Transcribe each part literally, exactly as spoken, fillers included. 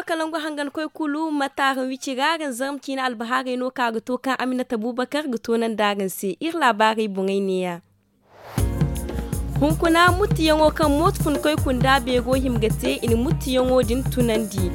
Kalangu hangan koy kulu mataara wici ga araŋ zarma ciina albahaarey no ka ga to kaŋ aminata bubakar ga to naŋ da araŋ se iri laabaarey boŋey neeya. Hunkuna muttuyaŋo kaŋ mooto funkoy kunda beero hima ga te i na muttuyaŋo din tunandi.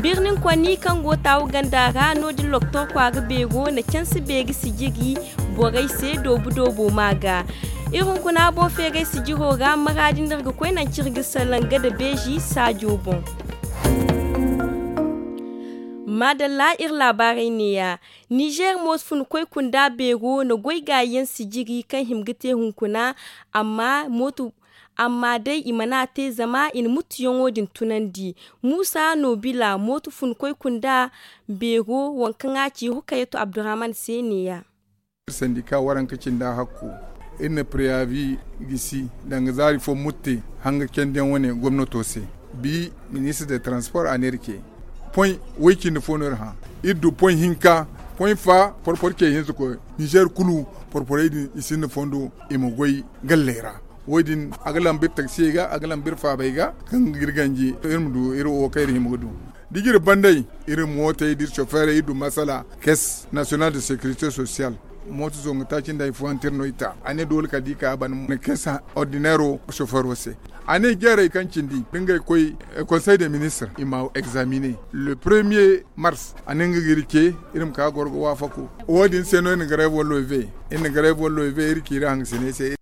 Birnin konni kaŋ go taawu ganda ra no- din loktor kwaara beero na cansi beeri sijiri borey se doobu doobo ma ga. Iri hunkuna boŋ feeray sijiro ra maraadi no iri ga koy naŋ ciri ga salaŋ ga da beezi saajo boŋ. Maadalla iri laabaarey neeya. Nizer mooto funkoy kunda beero na goy gaayi yaŋ sijiri kaŋ hima ga te hunkuna. Amma mooto amma day i mana a te zama i na muttuyaŋo din tunandi. Muusa nobila mooto funkoy kunda beero waŋ kaŋ a ci rukayatu abdurrahman se neeya. Sandika waranka cinda hakku iri na preyavi gisi danga zaari fo mutte hanga candiyaŋ wane gomnato se. Bi ministre de transport a ne iri ce poy way cindi fo no iri hã. Iri du poy hinka poy fa porporo ce hinza koy nizer kulu porporey din i sinda fondo i ma goy galley ra. Wo- din a ga lamba iri taksiyey ga a ga lamba iri faabey ga kaŋ ga iri ganji iri ma du iri wo kaŋ iri hima ga du. Da iri banda iri mootey da iri sofeerey iri du masala caisse nationale de sécurité sociale. Mooto zongu taaci nda hari fooyaŋ te iri no i ta a ne doole kala da i ka a ban na caisse ordinairo sofeero se. A ne jeerey kaŋ cindi da ngey koy conseil de ministre i ma examine le premier mars a ne nga ga iri ce iri ma ka goro ga waafaku. Wo- din se no iri na grève wallo i ve iri na grève wallo i ve iri ciiri hangasiney se.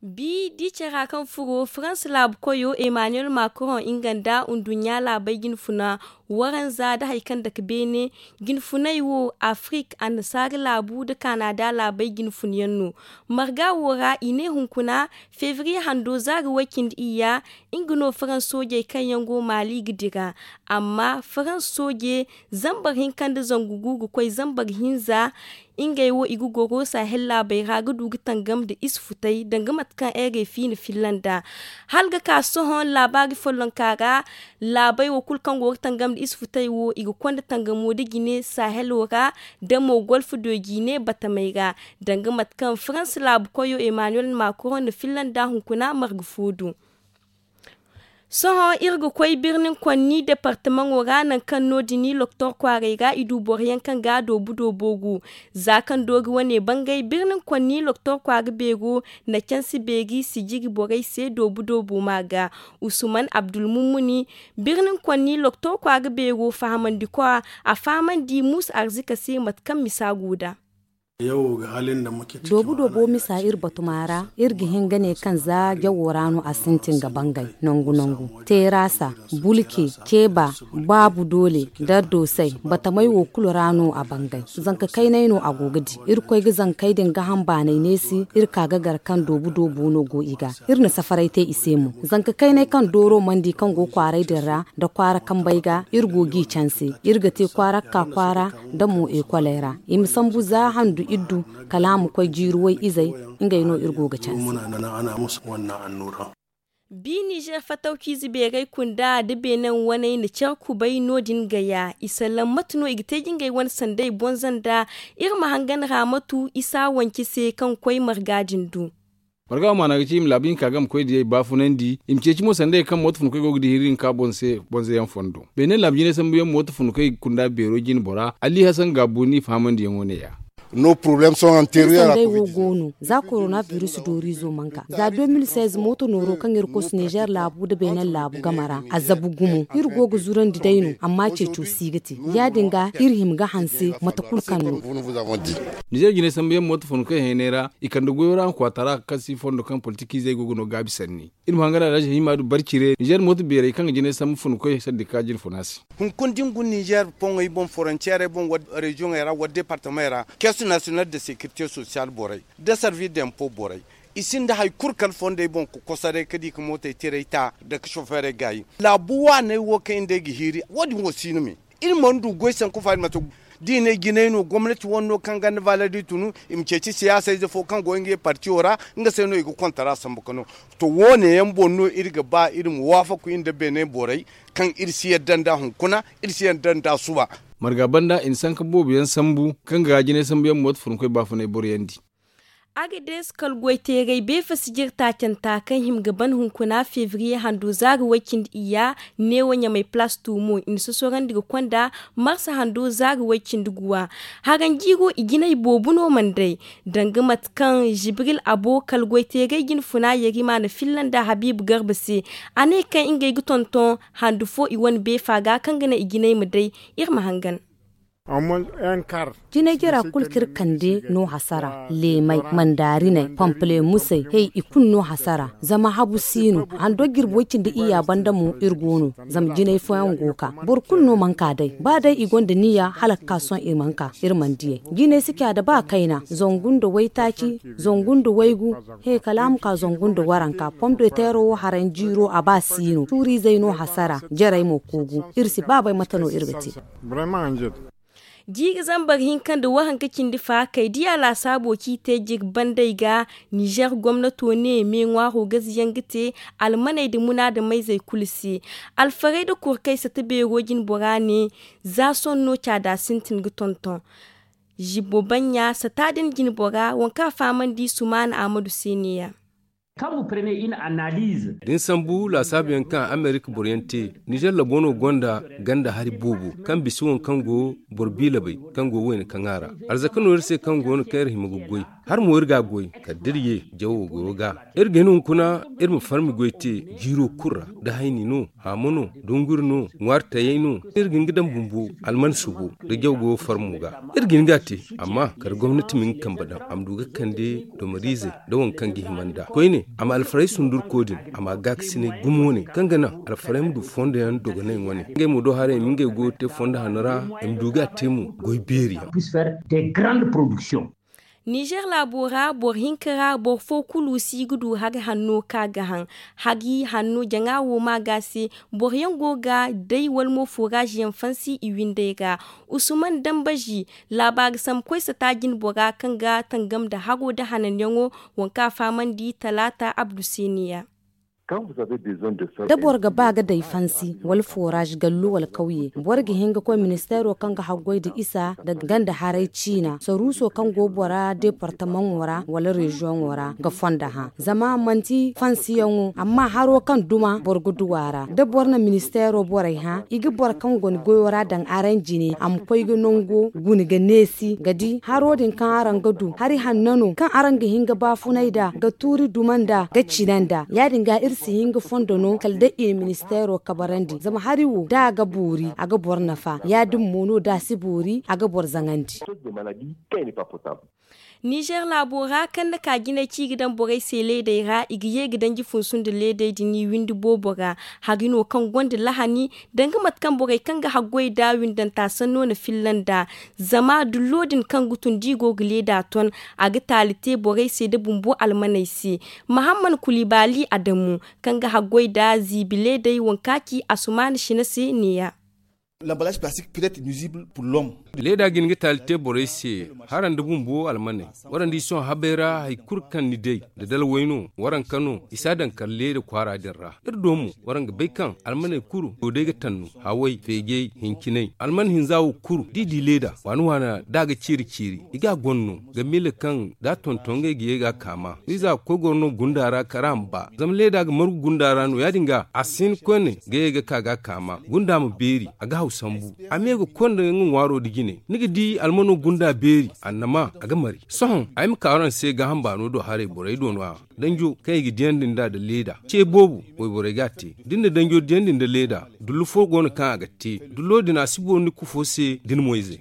Bi di care ra kaŋ furo farans laabu koyo emmanuel macron nga nda nduɲɲa laabey jinfuna waranza nda hari kaŋ dake beene jinfuney wo afrik annasaara laabu nda kanada laabey jinfuna yaŋ no. Marga wo ra i ne hunkuna febriye hando zaari way-cindi iyya nga no farans soojey kaŋ yaŋ go maali ga dira. Amma farans sooje zambar hinka nda zangu gu ga koy zambar hinza. Ngey wo i ga goro sahel laabey ra ga du ga tangam nda isufutey danga mate kaŋ rfi na filla nd'a. Hala ga ka sohõ laabaari follonka ra laabey wo kulu kaŋ go ga tangam nda isufutey wo i ga konda tangamo nda jine sahelo ra nda mo golf do jine batamey ra. Danga mate kaŋ farans laabu koyo emmanuel macron na filla nd'a hunkuna marga fo do. Sohõ iri ga koy birnin konni departamaŋo ra nangu kaŋ no- din loktor kwaaray ra i du boro yaŋ kaŋ ga a doobu doobo gu. Za kaŋ doori wane bangay birnin konni loktor kwaara beero na cansi beeri sijiri borey se doobu doobo ma ga. Usuman abdulmummuni birnin konni loktor kwaara beero fahamandi kwa a fahamandi muusa arzika se mate kaŋ misa go nd'a. Doobu doobo misa iri batuma ra iri ga hin ga ne kaŋ za jawo ra no a sintin ga bangay nangu nangu, terasa, bulke, keba, baabu doole, dardoosay, batamay wo kulu ra no a bangay. Zanka kaynay no a go ga di. Iri koy ga zankey din gaham baanay neesi iri ka ga gar kaŋ doobu doobo no go i ga. Iri na safaray te i se mo. Zanka kaynay kaŋ dooro mana di kaŋ go kwaaray din ra nda kwaara kambey ga iri go g'i canse. Iri ga te kwaara ga ka kwaara nda mo ekoley ra. I ma sambu za handu iddu kala a ma koy jiiri way izey. Ngey no iri go ga canse. Bi nizer fatawciize beeray kunda nda beenaŋ waney na care kubay no- din gaya i sallam mate no i ga te ga ngey wane sanday bonza nda iri ma hangan ra matu isa wance se kaŋ koy marga din du. Marga wo maana ga ci i ma laabu hinka game koy diyey baafunandi i ma ceeci mo sanda hari kaŋ mooto funkoy go ga di hiri hinka boŋ se bonzayaŋ fondo. Beene laabu jinay sambuyaŋ mooto funkoy kunda beero jine bora ali hasan gaabu ni fahamandiyaŋo neeya. Iri sandey wo go no za korona biris dooriizo mana ka za deux mille seize mooto nooro kaŋ iri kosu nizer laabu nda beene laabu game ra a zabu gumo iri go ga zurandi day no amma ceeco si ga te. Ya- din ga iri hima ga hanse mate kulu kaŋ no. Nizer jinay sambuyaŋ mooto funkoy haynay ra i kande goyo ra nga kwaatara kaŋ si fondo kaŋ politikiizey go ga no gaabi sanni. Iri ma hangan alhazi hima du barcire nizer mooto beerey kaŋ ga jinay sambu funkoy sandika jinfuna se. Hunkuna da ni guna nizer boŋey boŋ forontiyeerey boŋ wala reziyoŋey ra wala departamey ra, keesu nasiyonal de sekirite sosiyal borey nda sarvis de empo borey, i sinda hari kulu kala fondey boŋ ga kosoray ga di ga mootey tirey ta nda ga sofeerey gaayi. Laabu waaney wo kaŋ iri nd'ey ga hiiri wo- din wo si no me. Iri mana du goy sanku faari mate. Da i ne jinay no gomnati wane no kaŋ ganda valer da i tunu i ma ceeci siyaasa ize fo kaŋ go ngey partiyo ra, nga se no i ga kontara sambu ga no. To wo- ne yaŋ boŋ no iri ga ba iri ma waafaku iri nda beene borey kaŋ iri si yadda nd'a hunkuna, iri si yadda nd'a suba. Marga banda i na sanka boobo yaŋ sambu kaŋ ga jinay sambu yaŋ mooto funkoy baafunay boro yaŋ di. Agades kala goy teeray beefa sijir taacanta kaŋ hima ga ban hunkuna febriye hando zaari way-cindi iyya, neewo ɲamay palaas tuumo i na sosorandi ga konda marsa hando zaari way-cindi guwa. Haranjiiro i jinay boobo no mana day, danga mate kaŋ jibril abo kala goy teeray jinfuna yarima na filla nda habiibu garba se. A ne kaŋ ngey ga tonton handu fo i wane beefa ga kaŋ ga naŋ i jinay ma day. Iri ma hangan. Jinay jara kulu kaŋ iri kande no hasara leemay, mandaarinay, pampale musay, hey i kulu no hasara. Zama habu si no hando jirbi way-cindi iyya banda mo iri go no. Zama jinay fooyaŋ go ga ka boro kulu no mana ka day ba day i gonda niya hala ga ka sohõ i mana ka. Iri mana diyay jinay si ca da ba kayna zangu nda waytaaci, zangu nda waygu, he kala a ma ka zangu nda waranka pom de teero wo haranjiiro a ba si no tuuriizey no hasara. Jarey mo koogu iri si ba bay mate no iri ga te. Jiiri zambar hinka nda waranka cindi faakey diya laasaabo kaŋ i te jirbi bandey ga. Nizer gomnato ne me ŋwaaro gaziyaŋ ga te almaney nda munaadamayzey kulu se. Alfarey nda kurkey sata beero jinbora ne za sohõ no caada sintin ga tonton. Zibbo banɲa sata din jinbora waŋ kaŋ a fahamandi sumaana ahmadu se ne- ya. Da ni sambu laasaabu yaŋ kaŋ amerika boro yaŋ te, nizer labo no gonda ganda hari boobo kaŋ bisa waŋ kaŋ go boro biilabay kaŋ go wayna kaŋ a ra. Arzaka no iri se kaŋ go no kaŋ iri hima ga goy. Har mo iri ga a goy kala da iri ye jawo goyo ga. Iri ga hin hunkuna iri ma farmi goy te jiiro kulu ra. Da hayni no, haamo no, dunguri no, ŋwaari tayey no, iri ga hin ga daŋ bumbo alman subo nda jaw goyo farmo ga. Iri ga hin ga a te, amma kala gomnati ma hin ga kambe daŋ a ma du ga kande domariizey nda waŋ kaŋ ga hima nd'a koyne. A ma alfarey sundurko din a ma a gaakasinay gumo wane kaŋ ga naŋ alfarey ma du fondo yaŋ dogonay wane ngey mo do haray i ma ngey goyo te fondo hanno ra. I ma du ga a te mo goy beeri yaŋ. Nizer laabo ra boro hinka ra boro fo kulu si ga du hari hanno kaŋ a ga haŋ. Hari hanno jaŋa wo ma ga se. Boro yaŋ go ga day wala mo fooraaz yaŋ fansi i windey ra. Usuman dambazi laabaari sambu koy sata jinbora kaŋ ga tangam nda haro nda hananyaŋo. Waŋ kaŋ a fahamandi talaata abdu se ne- ya. Da boro ga ba ga day fansi wala fooraaz gallu wala kawye boro ga hin ga koy ministeero kaŋ ga haggoy nda isa nda ganda haray ciina saruuso kaŋ go bora deepartamaŋo ra wala reziyoŋo ra ga fondo hã. Zama manti fansiyaŋo amma haro kaŋ duma boro ga du a ra da boro na ministeero borey hã i ga boro kaŋ go ni goyo ra daŋ araŋ jine a ma koy ga nango guna ga neesi ga di haro din kaŋ araŋ ga du hari hanno no kaŋ araŋ ga hin ga baafunay nd'a ga tuuri duma nd'a ga cina nd'a ya- din ga iri si hin ga fondo no kala day i na ministeero kabarandi zama hari wo da a ga boori a ga boro nafa ya- din mo no da a si boori a ga boro zaŋandi. Nizer laabo ra kaŋ na ka jinay ci ga daŋ borey se leedey ra i ga ye ga danji funsu nda leedey din i windi boobo ra. Hari no kaŋ gonda lahani danga mate kaŋ borey kaŋ ga haggoy nda windanta sanno na filla nd'a. Zama dullo din kaŋ ga tun da i go ga leeda ton a ga taali te borey se nda bumbo almaney se. Mahamman kulibaali adamu kaŋ ga haggoy nda ziibi leedey waŋ kaŋ a ci asumaana sina se ne- ya. Leeda ga hin ga taali te borey se hara nda bumbo almaney. Waraŋ di sohõ habey ra hari kulu kaŋ ni day nda dalwey no waraŋ ka no i si a daŋ kala leeda kwaara din ra. Iri do mo waraŋ ga bay kaŋ almaney kulu go day ga tannu haway feejey hinciney alman hinza wo kulu da i di leeda waani waana da a ga ceeri ceeri i ga a gonno ga miila kaŋ da a tonton ngey ga ye ga a kaama wiiza ga koy goro no gunda ra kala a ma ba zama leeda ga margu gunda ra no ya- din ga a si hin koyne ga ye ga ka ga a kaama gunda ma beeri a ga haw sambu a me ga koy nda nga ŋwaaro nda jine ni ga di almano gunda beeri annama a ga mari sohõ ay ma ka araŋ se gaaham baano do haray borey do no- ya danjo kaŋ i ga diyandi nd'a nda leeda ce boobo wayborey ga a te da ni na danjo diyandi nda leeda dullu fo go no kaŋ a ga te dullo din a si boori ni kufo se da ni moyze.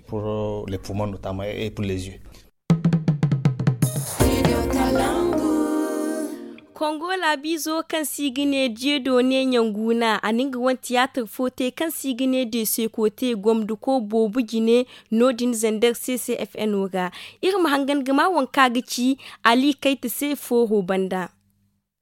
Kongo laabiizo kaŋ se i ga ne diedone ɲanguna a na nga wane tiyaatar fo te kaŋ se i ga ne desekote gomdako boobo jine no- din zander ccfno ra. Iri ma hangan ga ma waŋ kaŋ a ga ci ali kayta se fooro banda.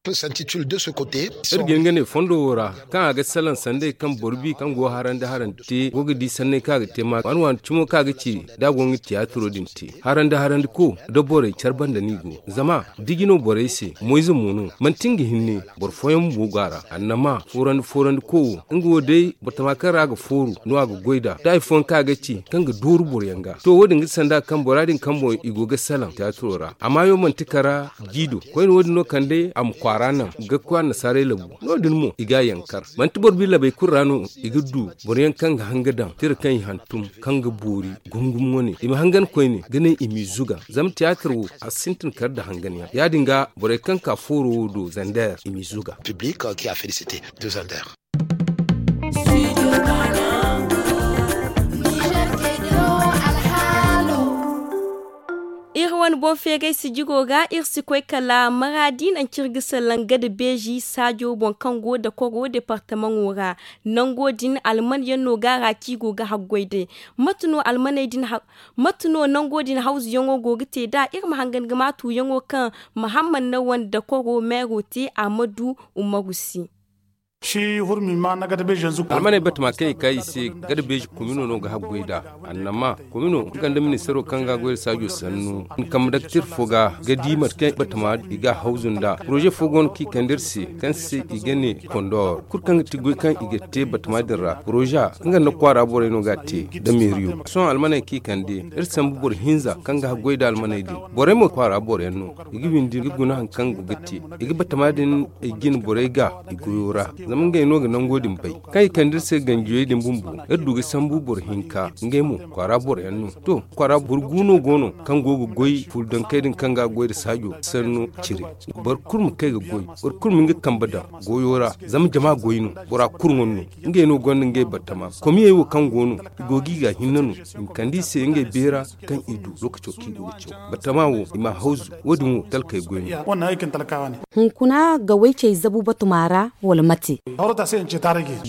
Iri ga hin ga ne fondo wo ra, kaŋ a ga salaŋ sanday kaŋ boro bi kaŋ go harandi harandi te go ga di sanney kaŋ a ga te ma waani waani cimo kaŋ a ga ci da a go ga nga tiyaatiro din te. Harandi harandi ko da borey care banda no i go. Zama diji no borey se, moyze mo no. Manti nga hinne, boro fooyaŋ bumbo go a ra. Annama foorandi foorandi ko wo, nga wo day batama kaŋ ra a ga fooru no a ga goy nd'a da hari fooyaŋ kaŋ a ga ci kaŋ ga dooru boroyaŋ ga. To, wo- din ga ti sanda kaŋ bora din kaŋ boŋ i go ga salaŋ tiyaatiro ra. A maayo manti kara jiido. Koyne wo- din no kande a ma kwaara naŋ ga koy annasaarey labu. No- din mo i ga a yankar. Manti boro bi labey kulu ra no i ga du boroyaŋ kaŋ ga hanga daŋ tira kaŋ i hantum, kaŋ ga boori gumgum wane. I ma hangan koyne ga ne i m'i zuga. Zama tiyaatir wo a sintin kar nda hanganyaŋ. Ya- din ga borey kaŋ ka fooro wo do zander i m'i zuga. Iri wane boŋ feeray sijiro ra iri si koy kala maraadi nangu kaŋ iri ga salaŋ gada beezi saajo boŋ kaŋ go dakoro departamaŋo ra. Nango din alman yaŋ no gaara kaŋ i go ga haggoy day. Mate no almaney din mate no nango din hawzuyaŋo go ga te nd'a? Iri ma hangan ga maatu yaŋo kaŋ mahamman na wande dakoro meero te a ma du umaru se. Almaney batama kaŋ i ka i se gada beezi komino no ga haggoy nd'a. Annama komino nga nda ministaro kaŋ ga goy nda saajo sannu, ni kambe daktir fo ga ga di mate kaŋ batama i ga a hawzu nd'a. Poroze fo go no kaŋ i kande iri se kaŋ se i ga ne kondor kulu kaŋ ga ti goy kaŋ i ga te batama din ra poroze nga nda kwaara borey no ga a te nda meeriyo. Sohõ almaney kaŋ i kande iri sambu boro hinza kaŋ ga haggoy nda almaney din. Borey mo kwaara boroyaŋ no. I ga windi ga guna hari kaŋ go ga te. I ga batama din i jine borey ga i goyo ra. Zama ngey no ga nango din bay. Kaŋ i kande iri se ganjiyey din bumbo iri du ga sambu boro hinka ngey mo kwaara boroyaŋ no. To, kwaara boro gu no go no kaŋ go ga goy fuldankey din kaŋ ga goy nda saajo sanno cire. Boro kulu ma kay ga goy. Boro kulu ma nga kambe daŋ goyo ra. Zama jama goy no. Bora kulu ŋwa no. Ngey no gonda ngey batama komiyey wo kaŋ go no i go ga i ga hinne no. I ma kande i se ngey beera kaŋ i du lookaco kaŋ i go ga caw. Batama wo i m'a hawzu. Wo- din wo talkey goy no. Hunkuna gawey cey zabu batuma ra wala mate?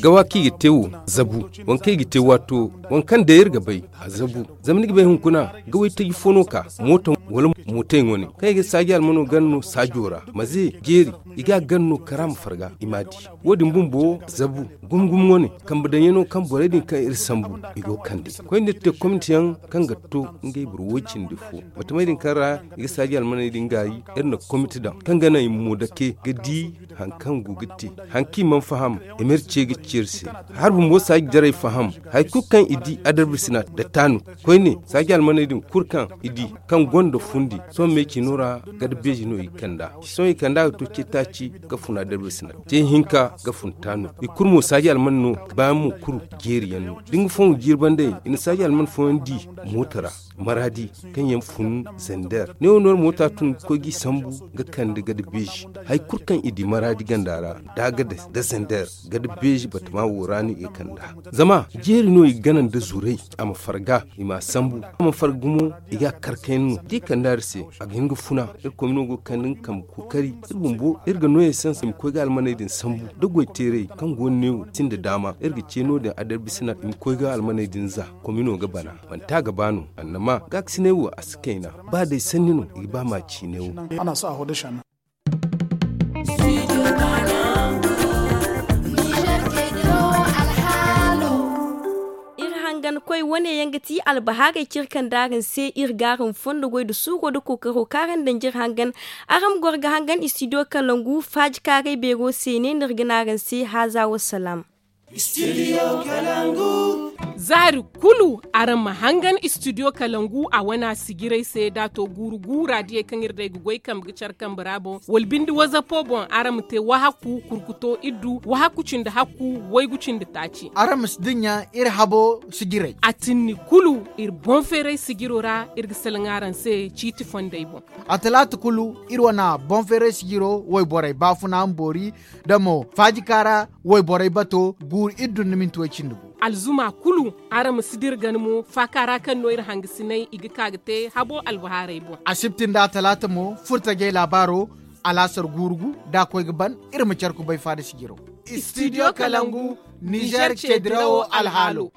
Gawa kaŋ i ga te wo zabu. Waŋ kaŋ i ga te waato waŋ kaŋ day iri ga bay a zabu. Zama ni ga bay hunkuna gawey taji fo no ka mooto wala mootey ŋwa ne kaŋ i ga saaji almano gana no saajo ra maze jeeri. I ga a gana no kara ma farga i m'a di. Wo- din bumbo zabu gumo gumo wane kambe daŋyaŋo kaŋ borey din kaŋ iri sambu i go ga kande koy nda iri te komite yaŋ kaŋ ga to ngey boro woy cindi fo. Batamey din kaŋ ra i ga saaji almaney din gaayi iri na komite daŋ kaŋ ga naŋ i ma mo dake ga di hari kaŋ go ga te. Hari kaŋ i mana faham i ma iri ce ga ci iri se. Hari bumbo saaji jarey faham hari kulu kaŋ i di adarbisina nda taanu koyne saaji almaney din kulu kaŋ i di kaŋ gonda fundi sohõ me cino ra gada beezi no i kand'a. Sohõ i kand'a ga to ce taaci ga fun adarbisina ce hinka ga fun taanu. I kulu mo saaji alman no baayaŋ mo kulu jeeri yaŋ no da nga fooyaŋ jiiri banda yaŋ i na saaji alman fooyaŋ di mooto ra maraadi kaŋ yaŋ fun zander ne wo no iri moota tun ga koy g'i sambu ga kande gada beezi. Hari kulu kaŋ i di maraadi ganda ra da a ga day da zander gada beezi batama wo ra no i ga kand'a. Zama jeeri no i ga gana nda zuray a ma farga i m'a sambu a ma farga gumo. I ga a kar kayna no da i kand'a iri se a ga hin ga funa. Iri komino go ga kande nga kambe kookari iri bumbo iri ga no esens i ma koy ga almaney din sambu da goy teeray kaŋ go no ne wo sinda daama iri ga ce no- din adarbisina i ma koy ga almaney din za. Komino ga bana manti a ga ba no annama gaakasinay wo a si kayna. Ba day sanni no i ga ba ma ciine wo. Iri hangan koy wane yaŋ ga ti albahaarey kaŋ iri kande araŋ se iri ga araŋ fondo goy nda suuro nda kookaro kaŋ araŋ daŋ jire hangan. Araŋ ma goro ga hangan istidiyo kalangu faaji kaaray beero se ne no iri ga ne araŋ se haaza wa salaam. Za hari kulu araŋ ma hangan istidiyo kalangu a wana sijirey se da a to guuru guura diyey kaŋ iri day ga goy kambe ga care kambe ra boŋ wala binde wazapo boŋ araŋ ma te wahakku kurkuto iddu wahakku cindi hakku waygu cindi taaci. Araŋ ma si dinya iri habo sijirey. A tinni kulu iri boŋ feeray sijiro ra iri ga salaŋ araŋ se ciiti fondey boŋ. A talaata kulu iri wana boŋ feeray sijiro wayborey baafuna ma boori da mo faajikaara wayborey bato guuru iddu nda minti way cindi gu. Alzuma kulu araŋ ma si dira gana mo faaka ra kaŋ no iri hangasinay i ga ka ga te habo albahaarey boŋ. Asibti nda atalaata mo furtajey laabaaro alaasar guuru gu da a koy ga ban. Iri ma care kubay faada sijiro. Istidiyo kalangu nizer ceedirawo alhaalo.